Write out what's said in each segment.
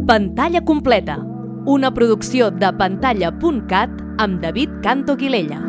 Pantalla completa, una producció de pantalla.cat amb David Canto Guilella.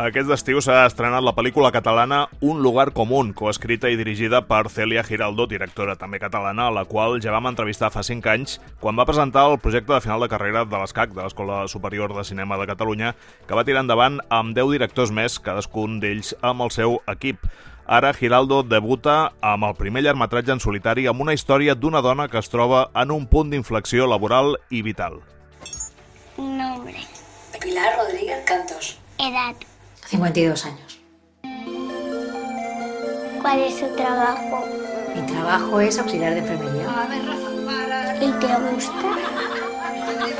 Aquest estiu s'ha estrenat la pel·lícula catalana Un lugar común, coescrita i dirigida per Cèlia Giraldo, directora també catalana, a la qual ja vam entrevistar fa 5 anys quan va presentar el projecte de final de carrera de l'ESCAC, de l'Escola Superior de Cinema de Catalunya, que va tirar endavant amb 10 directors més, cadascun d'ells amb el seu equip. Ara Giraldo debuta amb el primer llargmetratge en solitari amb una història d'una dona que es troba en un punt d'inflexió laboral i vital. Nombre. Pilar Rodríguez Cantos. Edad. 52 años. ¿Cuál es su trabajo? Mi trabajo es auxiliar de enfermería. ¿Y te gusta?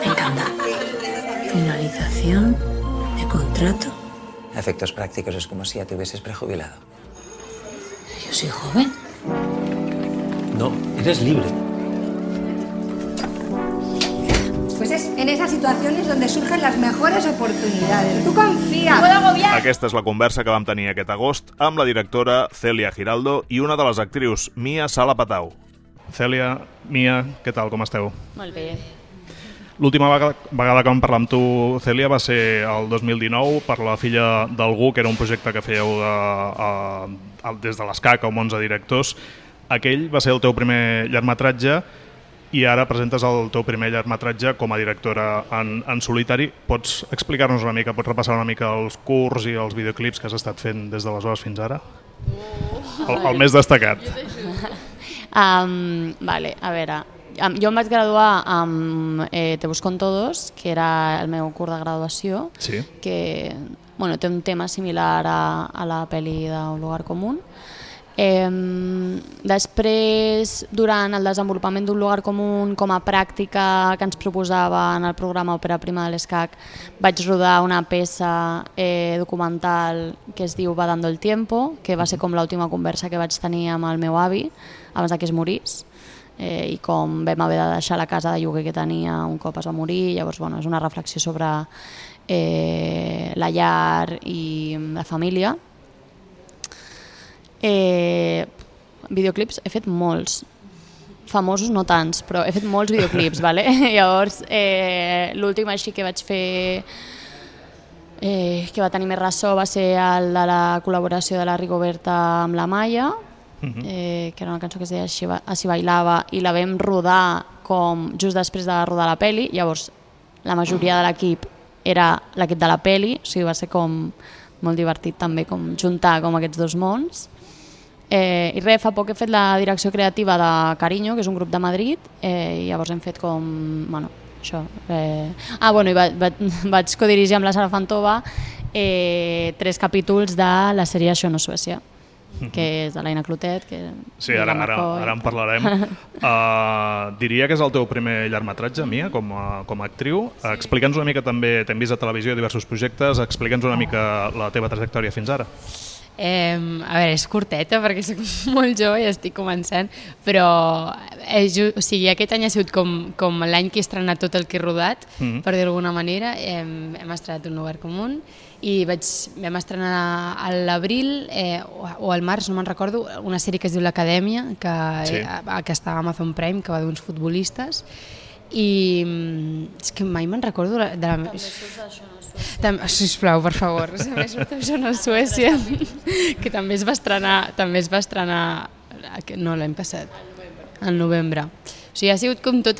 Me encanta. Finalización de contrato. A efectos prácticos es como si ya te hubieses prejubilado. Yo soy joven. No, eres libre. Pues es en esas situaciones donde surgen las mejores oportunidades. Tú confía. Aquesta és la conversa que vam tenir aquest agost amb la directora Cèlia Giraldo i una de les actrius, Mia Sala Patau. Cèlia, Mia, què tal, com esteu? Molt bé. L'última vegada que vam parlar amb tu, Cèlia, va ser el 2019 per La filla d'algú, que era un projecte que fèieu des de l'ESCAC, amb 11 directors. Aquell va ser el teu primer llargmetratge i ara presentes el teu primer llargmetratge com a directora en solitari. Pots explicar-nos una mica, pots repassar una mica els curts i els videoclips que has estat fent des d'aleshores fins ara? El més destacat. Vale, a veure, jo em vaig graduar amb Te busco en todos, que era el meu curs de graduació, Sí. que té un tema similar a la pel·li d'Un lugar común. Després, durant el desenvolupament d'Un lugar común, com a pràctica que ens proposava en el programa Òpera Prima de l'ESCAC, vaig rodar una peça documental que es diu Va dando el tiempo, que va ser com l'última conversa que vaig tenir amb el meu avi abans que es morís, i com vam haver de deixar la casa de lloguer que tenia un cop es va morir. Llavors, és una reflexió sobre la llar i la família. Videoclips he fet molts, famosos no tants, però he fet molts videoclips, vale? Llavors l'últim així que vaig fer que va tenir més ressò va ser el de la col·laboració de la Rigoberta amb la Maia, que era una cançó que es deia Així bailava, i la vam rodar just després de rodar la peli. Llavors la majoria de l'equip era l'equip de la peli, o sigui, va ser com molt divertit també juntar aquests dos mons. I res, fa poc he fet la direcció creativa de Cariño, que és un grup de Madrid, i llavors hem fet això. I vaig codirigir amb la Sara Fantova 3 capítols de la sèrie Això no és Suècia, que és de l'Aina Clotet. Sí, ara en parlarem. Diria que és el teu primer llargmetratge, Mia, com a actriu. Explica'ns una mica també, t'hem vist a televisió diversos projectes, explica'ns una mica la teva trajectòria fins ara. A veure, és curteta perquè soc molt jove i estic començant, però aquest any ha sigut com l'any que he estrenat tot el que he rodat, per dir-ho d'alguna manera. Hem estrenat Un lugar común i vam estrenar a l'abril o al març, no me'n recordo, una sèrie que es diu L'Acadèmia, que està a Amazon Prime, que va d'uns futbolistes, i és que mai me'n recordo de la... Sisplau, per favor, també surt Això no és Suècia, que també es va estrenar no, l'any passat, al novembre. O sigui, ha sigut com tot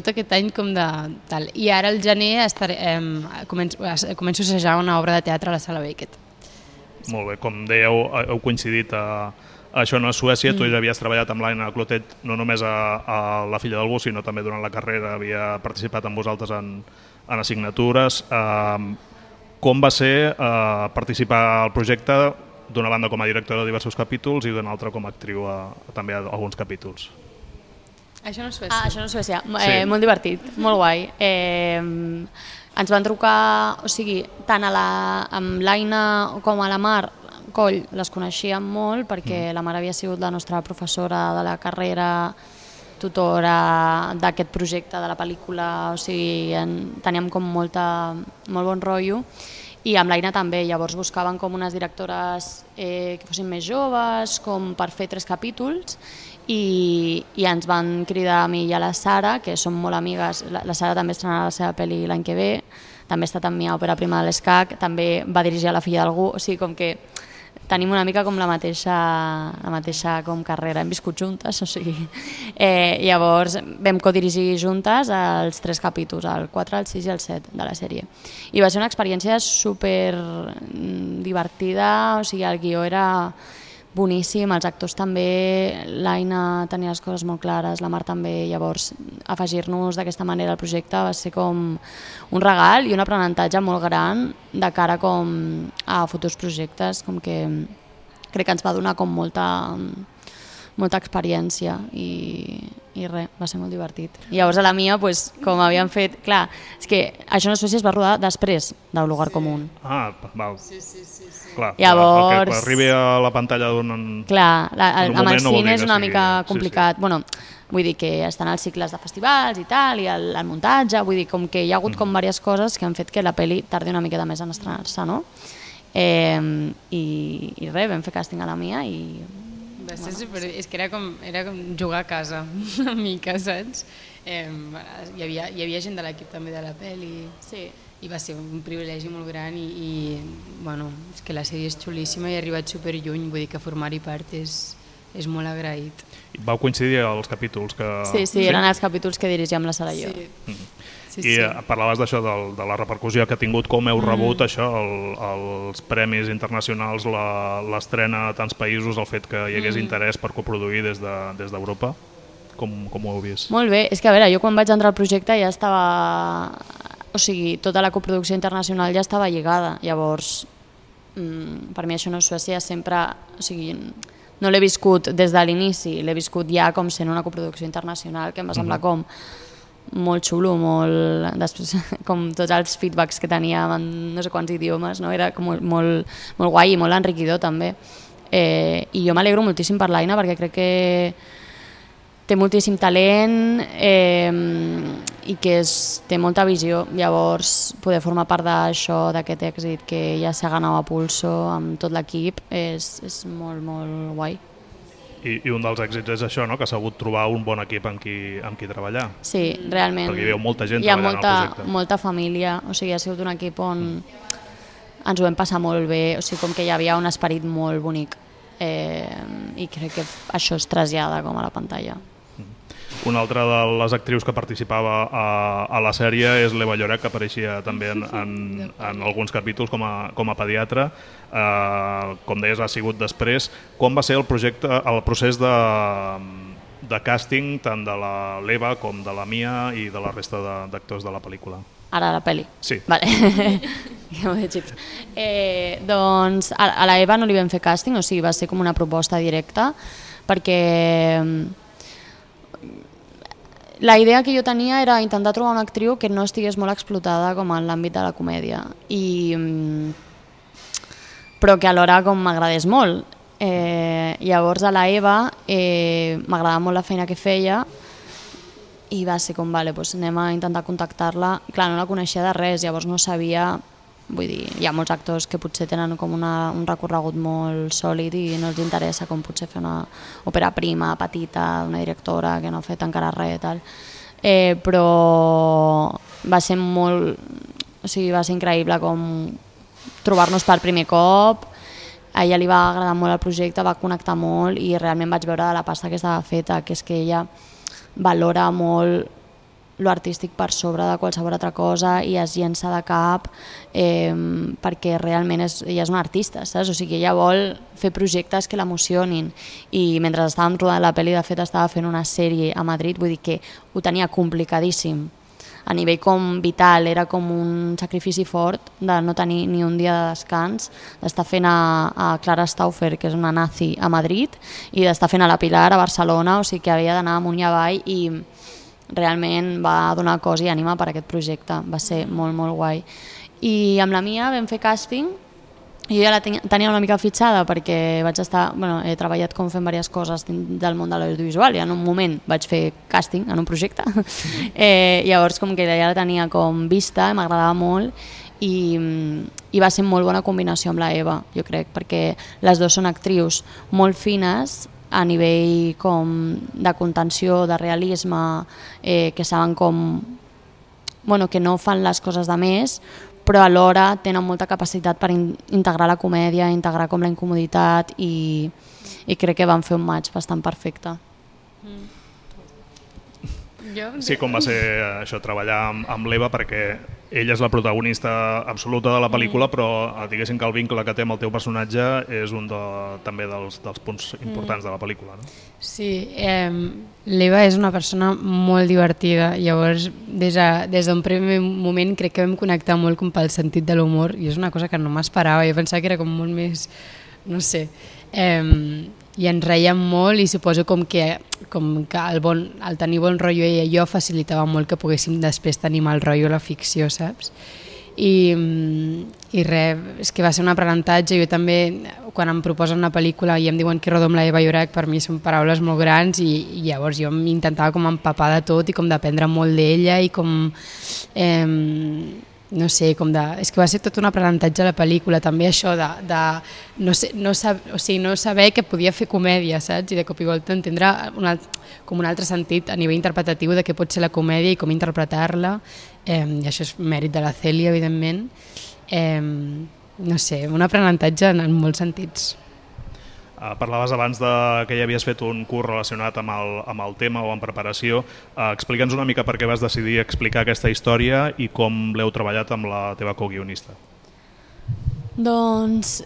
aquest any de tal. I ara al gener començo a assajar una obra de teatre a la Sala Beckett. Molt bé, com dèieu, heu coincidit a Això no és Suècia. Tu ja havies treballat amb l'Aina Clotet no només a La filla d'algú, sinó també durant la carrera havia participat amb vosaltres en assignatures. Com va ser participar al projecte, d'una banda com a directora de diversos capítols i d'una altra com a actriu també a alguns capítols? Això no és Suècia. Això no és Suècia. Molt divertit, molt guai. Ens van trucar, o sigui, tant amb l'Aina com a la Mar Coll les coneixíem molt perquè la Mar havia sigut la nostra professora de la carrera tutora d'aquest projecte de la pel·lícula, o sigui, teníem com molt bon rotllo, i amb l'Aina també. Llavors buscaven com unes directores que fossin més joves, com per fer 3 capítols, i ens van cridar a mi i a la Sara, que som molt amigues. La Sara també estrenarà la seva pel·li l'any que ve, també ha estat amb mi a Òpera Prima de l'ESCAC, també va dirigir a La filla d'algú, o sigui, com que tenim una mica com la mateixa com carrera, hem viscut juntes, o sigui, llavors vam codirigir juntes els 3 capítols, el 4, el 6 i el 7 de la sèrie. I va ser una experiència super divertida, o sigui, el guió era boníssim, els actors també, l'Aina tenia les coses molt clares, la Mar també, llavors afegir-nos d'aquesta manera al projecte va ser com un regal i un aprenentatge molt gran de cara com a futurs projectes, com que crec que ens va donar com molta experiència i res, va ser molt divertit. I llavors a la mia, pues, com havíem fet, clar, és que això no sé si es va rodar després del Lugar Común. Ah, val. Sí. Clar, llavors, que arribi a la pantalla clar, amb el cine és una mica complicat. Sí. Bueno, vull dir que estan els cicles de festivals i tal, i el muntatge, vull dir com que hi ha hagut com diverses coses que han fet que la pel·li tardi una miqueta més en estrenar-se, no? I res, vam fer càsting a la mia i... Va ser super... És que era com jugar a casa, una mica, saps? Hi havia gent de l'equip també de la pel·li, sí. I va ser un privilegi molt gran i bueno, és que la sèrie és xulíssima i ha arribat superlluny, vull dir que formar-hi part és molt agraït. I vau coincidir als capítols que... Sí, eren els capítols que dirigíem la Sara i jo. I parlaves d'això, de la repercussió que ha tingut, com heu rebut això, els premis internacionals, l'estrena a tants països, el fet que hi hagués interès per coproduir des d'Europa, com ho heu vist? Molt bé, és que a veure, jo quan vaig entrar al projecte ja estava... O sigui, tota la coproducció internacional ja estava lligada, llavors per mi això no és Suècia sempre... O sigui, no l'he viscut des de l'inici, l'he viscut ja com sent una coproducció internacional, que em va semblar com molt xulo, després, com tots els feedbacks que teníem en no sé quants idiomes, no? Era com molt guai i molt enriquidor també. I jo m'alegro moltíssim per l'Aina perquè crec que té moltíssim talent i que té molta visió, llavors poder formar part d'això, d'aquest èxit que ja s'ha ganat a pulso amb tot l'equip és molt, molt guai. I un dels èxits és això, no? Que s'ha hagut trobar un bon equip amb qui treballar. Sí, realment. Perquè hi ha molta gent treballant al projecte. Hi ha molta família, o sigui, ha sigut un equip on ens ho vam passar molt bé, o sigui, com que hi havia un esperit molt bonic i crec que això es trasllada com a la pantalla. Una altra de les actrius que participava a la sèrie és l'Eva Lloret, que apareixia també en alguns capítols com a pediatra. Com deies, ha sigut després. Com va ser el procés de càsting tant de l'Eva com de la Mia i de la resta d'actors de la pel·lícula? Ara la pel·li? Sí. Vale. Doncs a l'Eva no li vam fer càsting, o sigui, va ser com una proposta directa, perquè la idea que jo tenia era intentar trobar una actriu que no estigués molt explotada com en l'àmbit de la comèdia, però que alhora com m'agradés molt. Llavors a la Eva m'agradava molt la feina que feia i va ser com, vale, doncs anem a intentar contactar-la. Clar, no la coneixia de res, llavors no sabia... Vull dir, hi ha molts actors que potser tenen com un recorregut molt sòlid i no els interessa com potser fer una òpera prima, petita, una directora que no ha fet encara res i tal. Però va ser molt... O sigui, va ser increïble com trobar-nos per primer cop. A ella li va agradar molt el projecte, va connectar molt i realment vaig veure de la pasta que estava feta, que és que ella valora molt lo artístic per sobre de qualsevol altra cosa i es llença de cap perquè realment ella és una artista, saps? O sigui, ella vol fer projectes que l'emocionin i mentre estàvem rodant la pel·li, de fet estava fent una sèrie a Madrid, vull dir que ho tenia complicadíssim a nivell com vital, era com un sacrifici fort de no tenir ni un dia de descans, d'estar fent a Clara Stauffer, que és una nazi, a Madrid, i d'estar fent a la Pilar a Barcelona, o sigui que havia d'anar amunt i avall i realment va donar cos i ànima per aquest projecte, va ser molt, molt guai. I amb la Mia vam fer càsting jo ja la tenia una mica fitxada perquè vaig estar, he treballat com fent diverses coses del món de l'audiovisual i en un moment vaig fer càsting en un projecte llavors com que ja la tenia com vista, m'agradava molt i va ser molt bona combinació amb la Eva, jo crec, perquè les dues són actrius molt fines a nivell com de contenció, de realisme, que saben com que no fan les coses de més, però alhora tenen molta capacitat per integrar la comèdia, integrar com la incomoditat i crec que van fer un match bastant perfecte. Sí, com va ser això, treballar amb l'Eva, perquè ella és la protagonista absoluta de la pel·lícula, però diguéssim que el vincle que té amb el teu personatge és un també dels punts importants de la pel·lícula, no? Sí, l'Eva és una persona molt divertida, llavors des d'un primer moment crec que vam connectar molt com pel sentit de l'humor i és una cosa que no m'esperava, jo pensava que era com molt més, no sé, i ens reiem molt i suposo com que el tenir bon rotllo ella i jo facilitava molt que poguéssim després tenir mal rotllo a la ficció, saps? I res, és que va ser un aprenentatge. Jo també, quan em proposen una pel·lícula i em diuen que rodo amb la Eva Llorac, per mi són paraules molt grans i llavors jo m'intentava com empapar de tot i com d'aprendre molt d'ella i com no sé, és que va ser tot un aprenentatge a la pel·lícula, també això de no saber que podia fer comèdia, saps? I de cop i volta entendre com un altre sentit a nivell interpretatiu de què pot ser la comèdia i com interpretar-la, i això és mèrit de la Cèlia, evidentment. No sé, un aprenentatge en molts sentits. Parlaves abans que ja havies fet un curs relacionat amb el tema o en preparació. Explica'ns una mica per què vas decidir explicar aquesta història i com l'heu treballat amb la teva coguionista. Doncs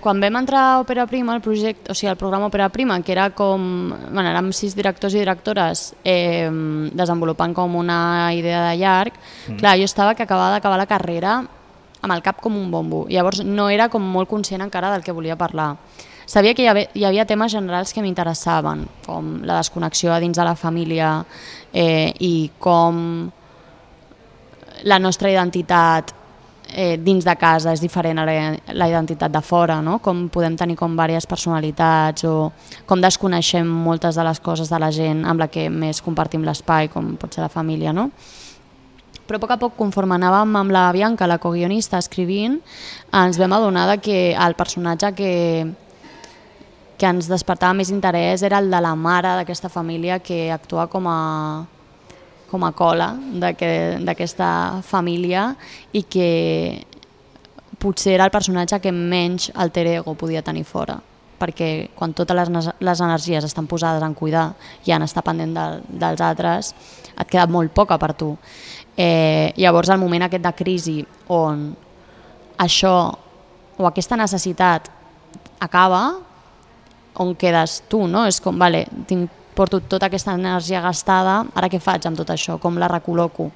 quan vam entrar a Òpera Prima, el programa Òpera Prima, que era com, érem 6 directors i directores desenvolupant com una idea de llarg, clar, jo estava que acabava d'acabar la carrera amb el cap com un bombo, llavors no era com molt conscient encara del que volia parlar. Sabia que hi havia temes generals que m'interessaven, com la desconnexió dins de la família i com la nostra identitat dins de casa és diferent a la identitat de fora, no? Com podem tenir com diverses personalitats o com desconeixem moltes de les coses de la gent amb la que més compartim l'espai, com pot ser la família, no? Però a poc a poc, conforme anàvem amb la Bianca, la coguionista, escrivint, ens vam adonar que el personatge que ens despertava més interès era el de la mare d'aquesta família que actua com a cola d'aquesta família i que potser era el personatge que menys alter ego podia tenir fora, perquè quan totes les energies estan posades en cuidar i en estar pendent dels altres et queda molt poca per tu. Llavors el moment aquest de crisi on això o aquesta necessitat acaba, on quedes tu, no? És com, vale, porto tota aquesta energia gastada, ara què faig amb tot això? Com la recol·loco?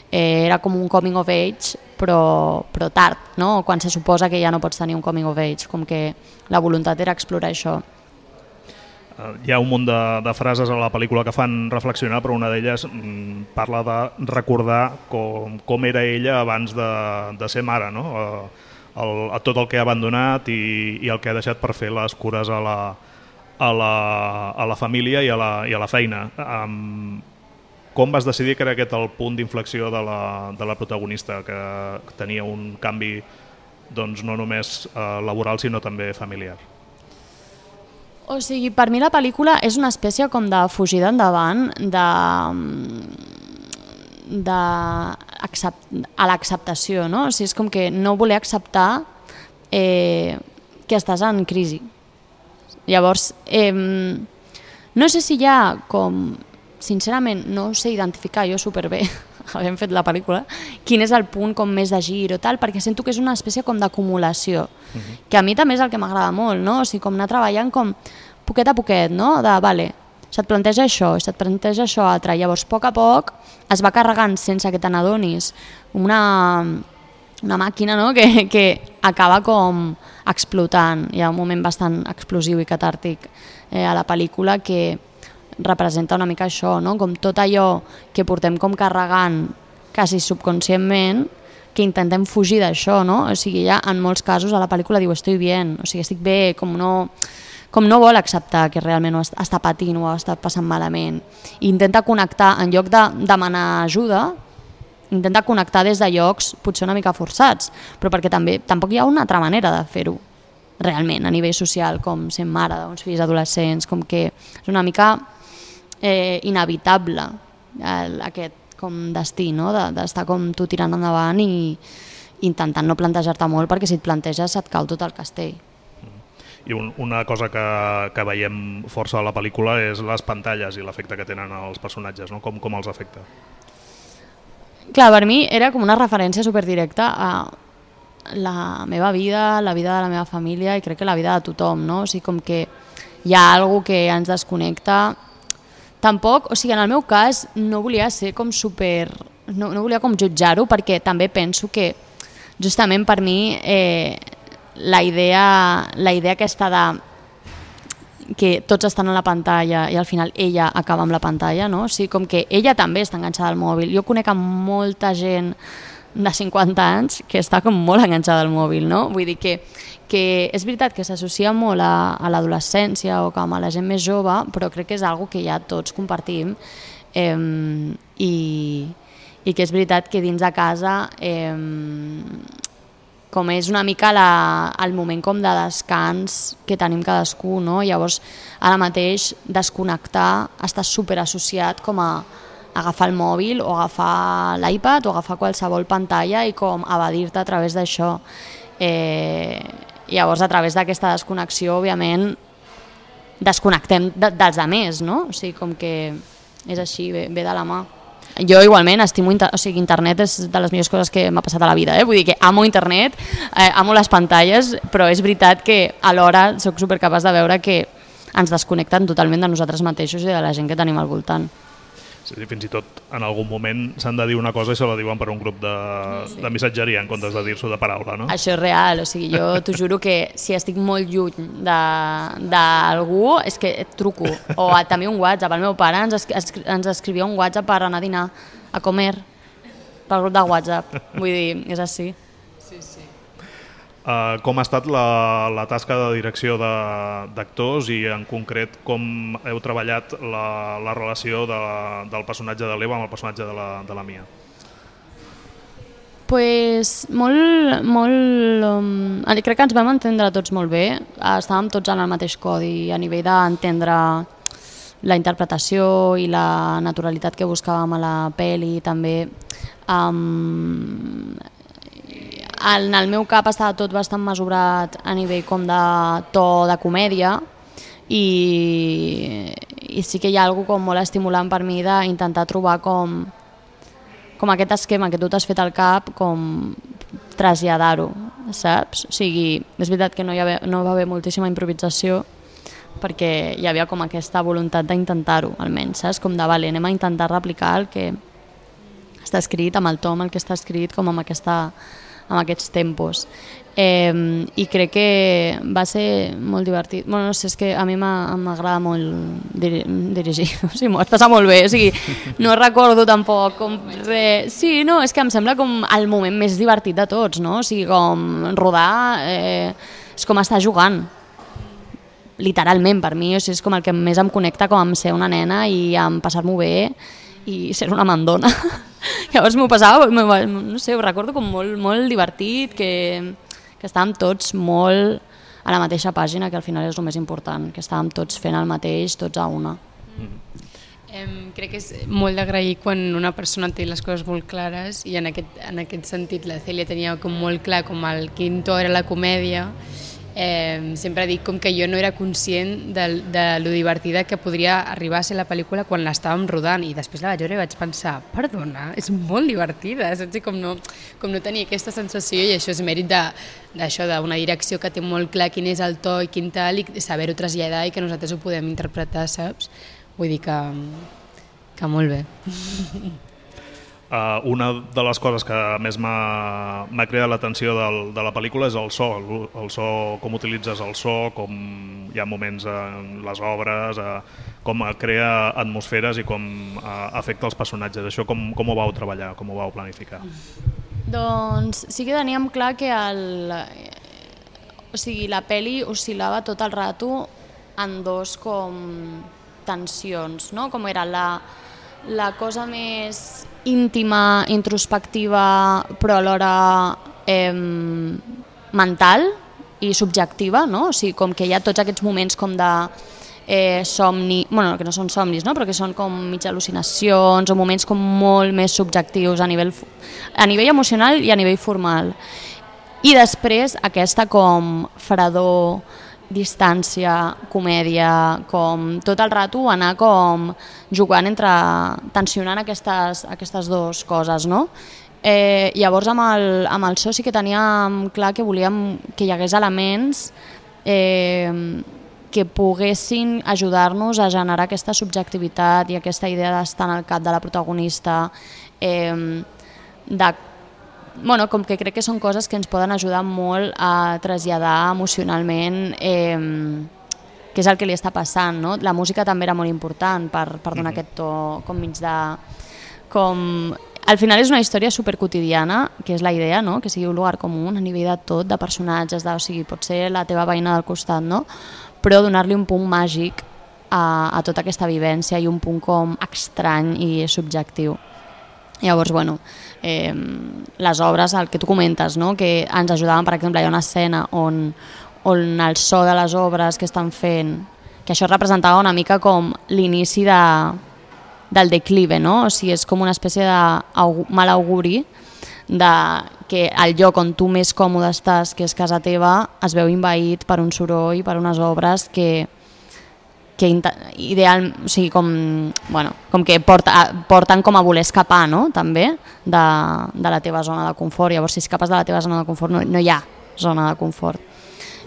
Era com un coming of age, però tard, no? Quan se suposa que ja no pots tenir un coming of age, com que la voluntat era explorar això. Hi ha un munt de frases a la pel·lícula que fan reflexionar, però una d'elles parla de recordar com era ella abans de ser mare, no? A tot el que ha abandonat i el que ha deixat per fer les cures a la família i a la feina. Com vas decidir que era aquest el punt d'inflexió de la protagonista, que tenia un canvi doncs, no només laboral sinó també familiar? O sigui, per mi la pel·lícula és una espècie com de fugida endavant a l'acceptació, no? O sigui, és com que no voler acceptar que estàs en crisi. Llavors, no sé si hi ha com, sincerament, no ho sé identificar jo superbé, havent fet la pel·lícula, quin és el punt com més de gir o tal, perquè sento que és una espècie com d'acumulació, que a mi també és el que m'agrada molt, no? O sigui, com anar treballant com poquet a poquet, no? De, vale, se't planteja això, se't planteja això altre, llavors a poc es va carregant sense que te n'adonis una màquina, no? que acaba com explotant. Hi ha un moment bastant explosiu i catàrtic a la pel·lícula que representa una mica això, no? Com tot allò que portem com carregant quasi subconscientment intentem fugir d'això, no? O sigui, ja en molts casos a la pel·lícula diu estoy bien, o sigui, estic bé, com no vol acceptar que realment ho està patint o ho està passant malament. I intenta connectar, en lloc de demanar ajuda, intenta connectar des de llocs potser una mica forçats, però perquè tampoc hi ha una altra manera de fer-ho realment a nivell social, com sent mare d'uns fills adolescents, com que és una mica inevitable aquest com destí, no? D'estar com tu tirant endavant i intentant no plantejar-te molt, perquè si et planteges et cau tot el castell. I una cosa que veiem força a la pel·lícula és les pantalles i l'efecte que tenen els personatges, no? Com els afecta? Clar, per mi era com una referència superdirecta a la meva vida, la vida de la meva família i crec que la vida de tothom, no? O sigui, com que hi ha alguna cosa que ens desconnecta. Tampoc, o sigui, en el meu cas no volia ser com super... No volia com jutjar-ho, perquè també penso que justament per mi la idea aquesta de que tots estan a la pantalla i al final ella acaba amb la pantalla, no? O sigui, com que ella també està enganxada al mòbil. Jo conec molta gent de 50 anys que està com molt enganxada al mòbil, no? Vull dir que és veritat que s'associa molt a l'adolescència o com a la gent més jove, però crec que és algo que ja tots compartim i que és veritat que dins de casa com és una mica el moment com de descans que tenim cadascú, no? Llavors, ara mateix, desconnectar està superassociat com a agafar el mòbil o agafar l'iPad o agafar qualsevol pantalla i com evadir-te a través d'això. Llavors, a través d'aquesta desconnexió, òbviament, desconnectem dels altres, no? O sigui, com que és així, ve de la mà. Jo igualment estimo, o sigui, internet és de les millors coses que m'ha passat a la vida, vull dir que amo internet, amo les pantalles, però és veritat que alhora soc supercapaç de veure que ens desconnecten totalment de nosaltres mateixos i de la gent que tenim al voltant. Sí, fins i tot en algun moment s'han de dir una cosa i se la diuen per un grup de missatgeria en comptes de dir-s'ho de paraula, no? Això és real, o sigui, jo t'ho juro que si estic molt lluny d'algú és que et truco, o també un WhatsApp. El meu pare ens escrivia un WhatsApp per anar a dinar, a comer, pel grup de WhatsApp, vull dir, és així. Sí, sí. Com ha estat la tasca de direcció d'actors i en concret com heu treballat la relació del personatge de l'Eva amb el personatge de la Mia? Pues crec que ens vam entendre tots molt bé, estàvem tots en el mateix codi a nivell d'entendre la interpretació i la naturalitat que buscàvem a la pel·li també. En el meu cap estava tot bastant mesurat a nivell com de to de comèdia i sí que hi ha alguna cosa molt estimulant per mi d'intentar trobar com aquest esquema que tu t'has fet al cap, com traslladar-ho, saps? O sigui, és veritat que no va haver moltíssima improvisació perquè hi havia com aquesta voluntat d'intentar-ho, almenys, saps? Com de, vale, anem a intentar replicar el que està escrit, amb el to amb el que està escrit, com amb aquests tempos. I crec que va ser molt divertit. Bueno, no sé, és que a mi m'agrada molt dirigir, o sigui, m'ho vaig passar molt bé, o sigui, no recordo tampoc com res. Sí, no, és que em sembla com el moment més divertit de tots, no? O sigui, com rodar és com estar jugant, literalment per mi, o sigui, és com el que més em connecta com amb ser una nena i amb passar-m'ho bé i ser una mandona. Llavors m'ho passava, no sé, ho recordo com molt divertit, que estàvem tots molt a la mateixa pàgina, que al final és el més important, que estàvem tots fent el mateix, tots a una. Crec que és molt d'agrair quan una persona té les coses molt clares i en aquest sentit la Cèlia tenia com molt clar com el quin to era la comèdia. Sempre dic com que jo no era conscient de lo divertida que podria arribar a ser la pel·lícula quan l'estàvem rodant i després la vaig veure i vaig pensar, perdona, és molt divertida, saps? Com no tenia aquesta sensació i això és mèrit d'això, d'una direcció que té molt clar quin és el to i quin tal i saber-ho traslladar i que nosaltres ho podem interpretar, saps? Vull dir que molt bé. Una de les coses que més m'ha cridat l'atenció de la pel·lícula és el so, com utilitzes el so, com hi ha moments en les obres, com crea atmosferes i com afecta els personatges. Això com ho vau treballar, com ho vau planificar? Doncs sí que teníem clar que la peli oscil·lava tot el rato en dos com tensions, no? Com era la cosa més íntima, introspectiva, però alhora mental i subjectiva, no? O sigui, com que hi ha tots aquests moments com de somni, bueno, que no són somnis, no? Però que són com mig al·lucinacions o moments com molt més subjectius a nivell emocional i a nivell formal. I després aquesta com fredor, distància, comèdia, com tot el rato anar com jugant tensionant aquestes dues coses, no? Llavors amb el so sí que teníem clar que volíem que hi hagués elements que poguessin ajudar-nos a generar aquesta subjectivitat i aquesta idea d'estar en el cap de la protagonista, com que crec que són coses que ens poden ajudar molt a traslladar emocionalment què és el que li està passant, no? La música també era molt important per donar aquest to com mig de... Al final és una història superquotidiana, que és la idea, no? Que sigui un lugar comú a nivell de tot, de personatges, o sigui, pot ser la teva veïna del costat, no? Però donar-li un punt màgic a tota aquesta vivència i un punt com estrany i subjectiu. Llavors, bueno, les obres, el que tu comentes, no? Que ens ajudaven, per exemple, hi ha una escena on el so de les obres que estan fent, que això representava una mica com l'inici del declive, no? O sigui, és com una espècie de mal auguri que el lloc on tu més còmode estàs, que és casa teva, es veu envaït per un soroll, per unes obres que o sigui, com que porten com a voler escapar, no? També de la teva zona de confort. Llavors, si escapes de la teva zona de confort, no hi ha zona de confort.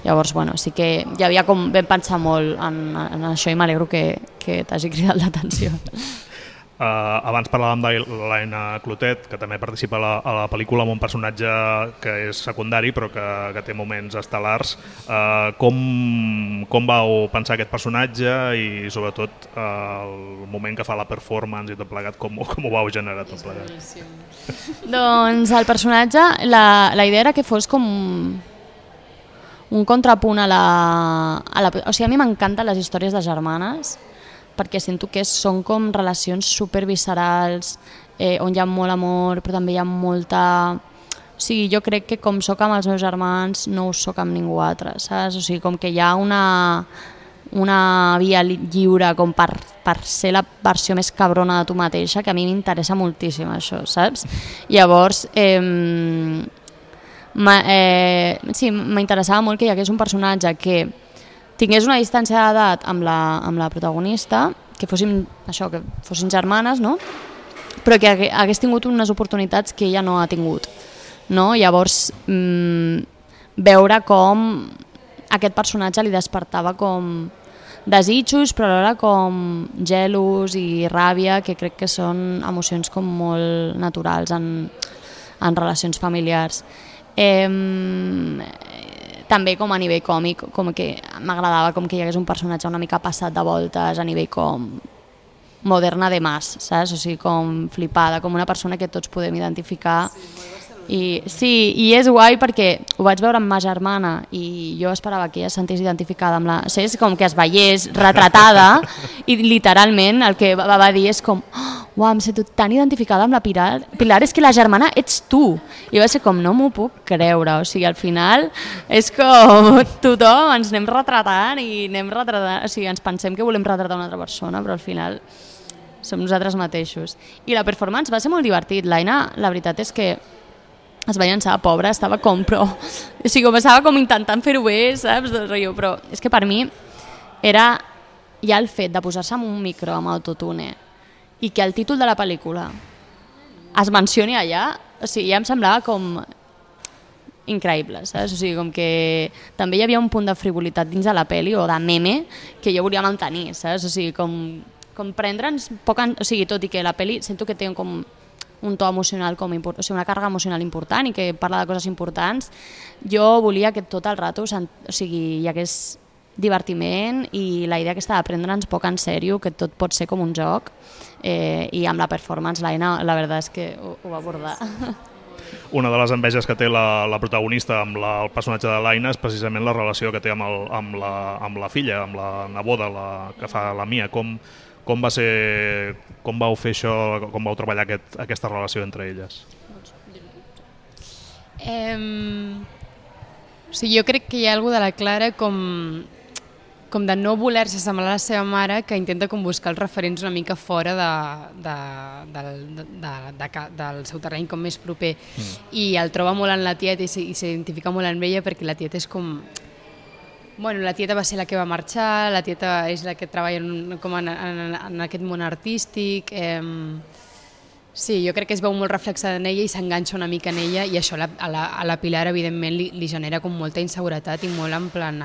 Llavors, bueno, sí que hi havia com ben pensar molt en això i m'alegro que t'hagi cridat l'atenció. Abans parlàvem de l'Helena Clotet, que també participa a la pel·lícula amb un personatge que és secundari però que té moments estel·lars. Com vau pensar aquest personatge i sobretot el moment que fa la performance i tot plegat, com ho vau generar tot plegat? Doncs el personatge, la idea era que fos com un contrapunt o sigui, a mi m'encanten les històries de germanes, perquè sento que són com relacions superviscerals, on hi ha molt amor, però també hi ha molta... O sigui, jo crec que com soc amb els meus germans, no ho soc amb ningú altre, saps? O sigui, com que hi ha una via lliure com per ser la versió més cabrona de tu mateixa, que a mi m'interessa moltíssim això, saps? Llavors, sí, m'interessava molt que hi hagués un personatge que tingués una distància d'edat amb la protagonista, que fossin germanes, no? Però que hagués tingut unes oportunitats que ella no ha tingut, no? Llavors, veure com aquest personatge li despertava com desitjos, però alhora com gelos i ràbia, que crec que són emocions com molt naturals en relacions familiars. També com a nivell còmic, com que m'agradava com que hi hagués un personatge una mica passat de voltes a nivell com moderna de mas, saps? O sigui, com flipada, com una persona que tots podem identificar. I és guai perquè ho vaig veure amb ma germana i jo esperava que ella es sentís identificada amb és com que es veiés retratada i literalment el que va dir és com uau, em sento tan identificada amb la Pilar. Pilar, és que la germana ets tu. I va ser com, no m'ho puc creure. O sigui, al final és com tothom ens anem retratant i o sigui, ens pensem que volem retratar una altra persona, però al final som nosaltres mateixos. I la performance va ser molt divertit. L'Aina, la veritat és que es va llançar, pobra, estava com, però... O sigui, estava com intentant fer-ho bé, saps? Però és que per mi era ja el fet de posar-se amb un micro amb autotune i que el títol de la pel·lícula es mencioni allà, o sigui, ja em semblava com increïble, saps? O sigui, com que també hi havia un punt de frivolitat dins de la pel·li o de meme que jo volia mantenir, saps? O sigui, com prendre'ns poc... O sigui, tot i que la pel·li sento que té com un to emocional, o sigui, una càrrega emocional important i que parla de coses importants, jo volia que tot el rato hi hagués divertiment i la idea aquesta de prendre'ns poc en sèrio, que tot pot ser com un joc, i amb la performance l'Aina la veritat és que ho va abordar. una de les enveges que té la protagonista amb el personatge de l'Aina és precisament la relació que té amb la filla, amb la neboda que fa la Mia. Com vau fer això, com vau treballar aquesta relació entre elles? Jo crec que hi ha alguna de la Clara com de no voler-se assemblar a la seva mare, que intenta com buscar els referents una mica fora del seu terreny com més proper. I el troba molt en la tieta i s'identifica molt amb ella, perquè la tieta és com... Bueno, la tieta va ser la que va marxar, la tieta és la que treballa en aquest món artístic... Sí, jo crec que es veu molt reflexada en ella i s'enganxa una mica en ella, i això a la Pilar evidentment li genera com molta inseguretat i molt en plan,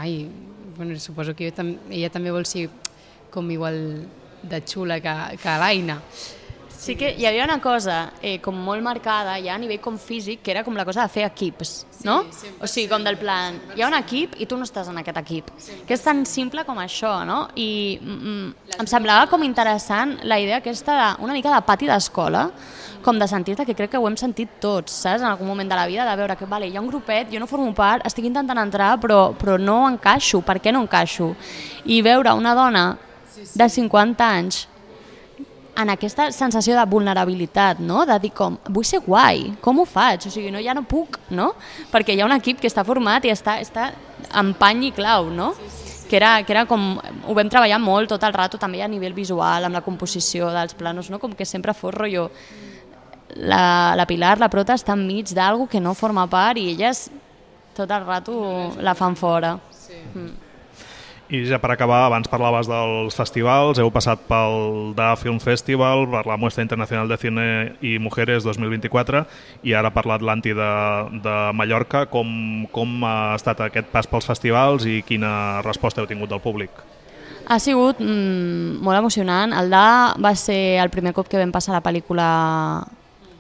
bueno, suposo que ella també vol ser com igual de xula que l'Aina. Sí que hi havia una cosa com molt marcada ja a nivell com físic, que era com la cosa de fer equips, no? O sigui, com del plan, hi ha un equip i tu no estàs en aquest equip, que és tan simple com això, no? I em semblava com interessant la idea aquesta una mica de pati d'escola, com de sentir-te, que crec que ho hem sentit tots, saps? En algun moment de la vida, de veure que vale, hi ha un grupet, jo no formo part, estic intentant entrar, però no encaixo. Per què no encaixo? I veure una dona de 50 anys en aquesta sensació de vulnerabilitat, no? De dir com, vull ser guai, com ho faig? O sigui, ja no puc, no? Perquè hi ha un equip que està format i està en pany i clau, no? Que era com, ho vam treballar molt tot el rato, també a nivell visual, amb la composició dels planos, no? Com que sempre fos rotllo. La Pilar, la prota, està enmig d'algo que no forma part i elles tot el rato la fan fora. I ja per acabar, abans parlaves dels festivals, heu passat pel DA Film Festival, per la Muestra Internacional de Cine y Mujeres 2024 i ara per l'Atlanti de Mallorca. Com ha estat aquest pas pels festivals i quina resposta heu tingut del públic? Ha sigut molt emocionant. El DA va ser el primer cop que vam passar la pel·lícula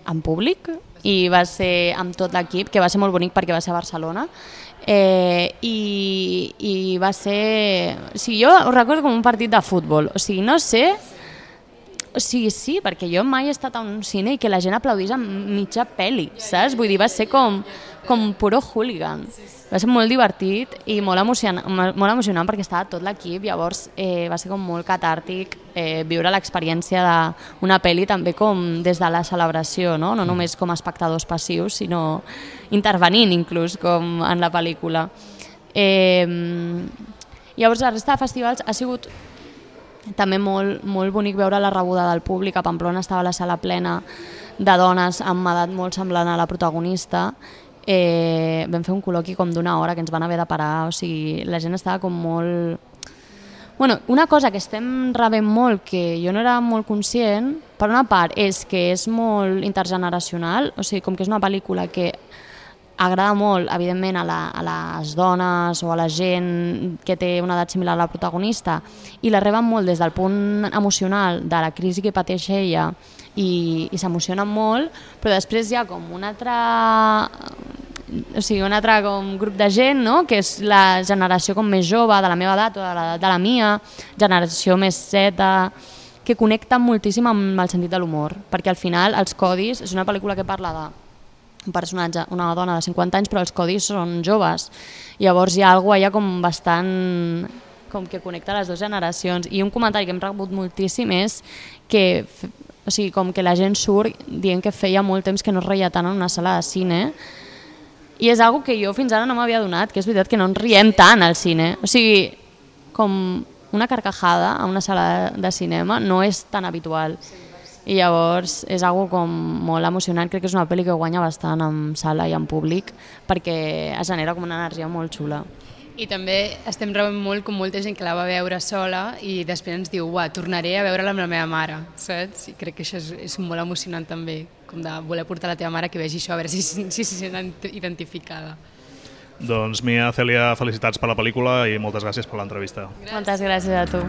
en públic i va ser amb tot l'equip, que va ser molt bonic perquè va ser a Barcelona. I va ser... O sigui, jo ho recordo com un partit de futbol. O sigui, no sé... O sigui, sí, perquè jo mai he estat a un cine i que la gent aplaudís en mitja pel·li, saps? Vull dir, va ser com puro hooligan. Va ser molt divertit i molt emocionant perquè estava tot l'equip, llavors va ser com molt catàrtic viure l'experiència d'una pel·li també com des de la celebració, no només com a espectadors passius, sinó intervenint inclús com en la pel·lícula. Llavors la resta de festivals ha sigut també molt bonic veure la rebuda del públic. A Pamplona estava la sala plena de dones amb edat molt semblant a la protagonista. Vam fer un col·loqui com d'una hora que ens van haver de parar, o sigui, la gent estava com molt... Bueno, una cosa que estem rebent molt, que jo no era molt conscient, per una part és que és molt intergeneracional, o sigui, com que és una pel·lícula que agrada molt, evidentment, a les dones o a la gent que té una edat similar a la protagonista, i la reben molt des del punt emocional de la crisi que pateix ella i s'emocionen molt, però després hi ha com un altre com grup de gent, no? Que és la generació com més jove, de la meva edat o de l'edat de la Mia, generació més zeta, que connecta moltíssim amb el sentit de l'humor, perquè al final els codis, és una pel·lícula que parla de un personatge, una dona de 50 anys, però els codis són joves. Llavors hi ha alguna cosa allà com bastant... com que connecta les dues generacions. I un comentari que hem rebut moltíssim és que, o sigui, com que la gent surt dient que feia molt temps que no es reia tant en una sala de cine, i és algo que jo fins ara no m'havia donat, que és veritat que no ens riem tant al cine. O sigui, com una carcajada a una sala de cinema no és tan habitual. I llavors és algo com molt emocionant. Crec que és una pel·li que guanya bastant en sala i en públic perquè es genera com una energia molt xula. I també estem rebent molt com molta gent que la va veure sola i després ens diu, tornaré a veure-la amb la meva mare, saps? I crec que això és molt emocionant també, com de voler portar la teva mare que vegi això, a veure si se sent identificada. Doncs Mia, Cèlia, felicitats per la pel·lícula i moltes gràcies per l'entrevista. Moltes gràcies a tu.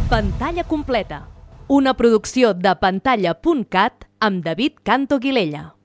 Pantalla completa, una producció de pantalla.cat amb David Canto Guilella.